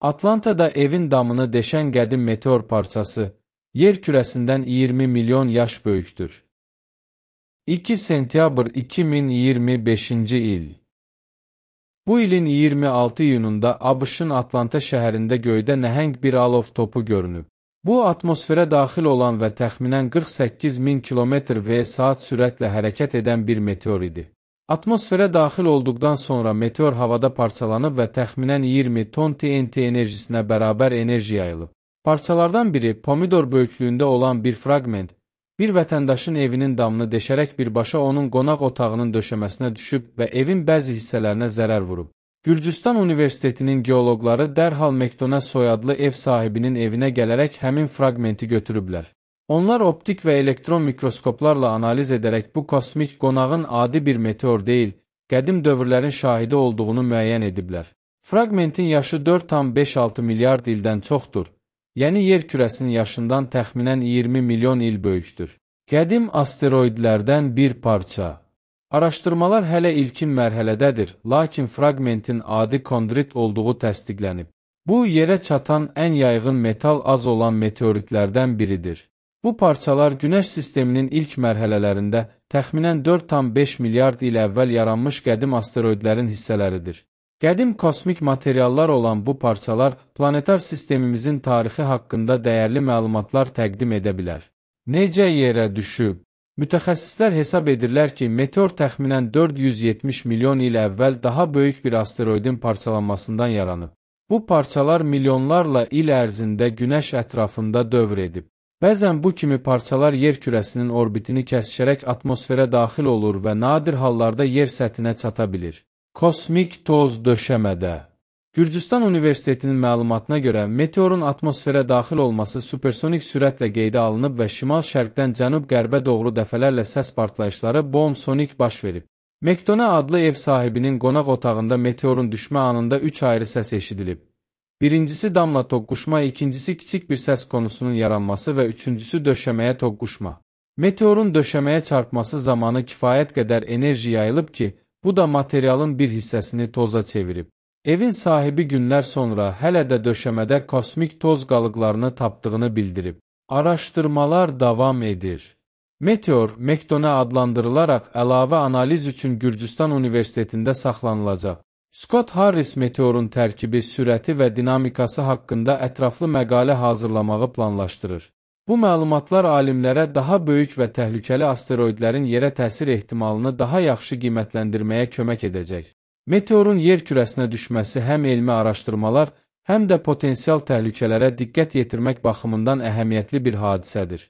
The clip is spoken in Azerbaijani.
Atlantada evin damını deşən qədim meteor parçası, yer kürəsindən 20 milyon yaş böyükdür. 2 sentyabr 2025-ci il. Bu ilin 26 iyununda ABŞ-ın Atlanta şəhərində göydə nəhəng bir alov topu görünüb. Bu, atmosferə daxil olan və təxminən 48 min km/saat sürətlə hərəkət edən bir meteor idi. Atmosferə daxil olduqdan sonra meteor havada parçalanıb və təxminən 20 ton TNT enerjisinə bərabər enerji yayılıb. Parçalardan biri, pomidor böyüklüyündə olan bir fraqment, bir vətəndaşın evinin damını deşərək birbaşa onun qonaq otağının döşəməsinə düşüb və evin bəzi hissələrinə zərər vurub. Gürcüstan Universitetinin geoloqları dərhal McDonald soyadlı ev sahibinin evinə gələrək həmin fraqmenti götürüblər. Onlar optik və elektron mikroskoplarla analiz edərək bu kosmik qonağın adi bir meteor deyil, qədim dövrlərin şahidi olduğunu müəyyən ediblər. Fraqmentin yaşı 4,56 milyard ildən çoxdur, yəni yer kürəsinin yaşından təxminən 20 milyon il böyükdür. Qədim asteroidlərdən bir parça. Araşdırmalar hələ ilkin mərhələdədir, lakin fraqmentin adi kondrit olduğu təsdiqlənib. Bu, yerə çatan ən yaygın metal az olan meteoritlərdən biridir. Bu parçalar Günəş sisteminin ilk mərhələlərində təxminən 4,5 milyard il əvvəl yaranmış qədim asteroidlərin hissələridir. Qədim kosmik materiallar olan bu parçalar planetar sistemimizin tarixi haqqında dəyərli məlumatlar təqdim edə bilər. Necə yerə düşüb? Mütəxəssislər hesab edirlər ki, meteor təxminən 470 milyon il əvvəl daha böyük bir asteroidin parçalanmasından yaranıb. Bu parçalar milyonlarla il ərzində Günəş ətrafında dövr edib. Bəzən bu kimi parçalar yer kürəsinin orbitini kəsişərək atmosferə daxil olur və nadir hallarda yer səthinə çata bilir. Kosmik toz döşəmədə. Gürcüstan Universitetinin məlumatına görə meteorun atmosferə daxil olması supersonik sürətlə qeydə alınıb və şimal-şərqdən cənub-qərbə doğru dəfələrlə səs partlayışları boom-sonik baş verib. McDonald adlı ev sahibinin qonaq otağında meteorun düşmə anında 3 ayrı səs eşidilib. Birincisi damla toqquşma, ikincisi kiçik bir səs konusunun yaranması və üçüncüsü döşəməyə toqquşma. Meteorun döşəməyə çarpması zamanı kifayət qədər enerji yayılıb ki, bu da materialın bir hissəsini toza çevirib. Evin sahibi günlər sonra hələ də döşəmədə kosmik toz qalıqlarını tapdığını bildirib. Araşdırmalar davam edir. Meteor, McDonald adlandırılaraq əlavə analiz üçün Gürcüstan Universitetində saxlanılacaq. Scott Harris meteorun tərkibi, sürəti və dinamikası haqqında ətraflı məqalə hazırlamağı planlaşdırır. Bu məlumatlar alimlərə daha böyük və təhlükəli asteroidlərin yerə təsir ehtimalını daha yaxşı qiymətləndirməyə kömək edəcək. Meteorun yer kürəsinə düşməsi həm elmi araşdırmalar, həm də potensial təhlükələrə diqqət yetirmək baxımından əhəmiyyətli bir hadisədir.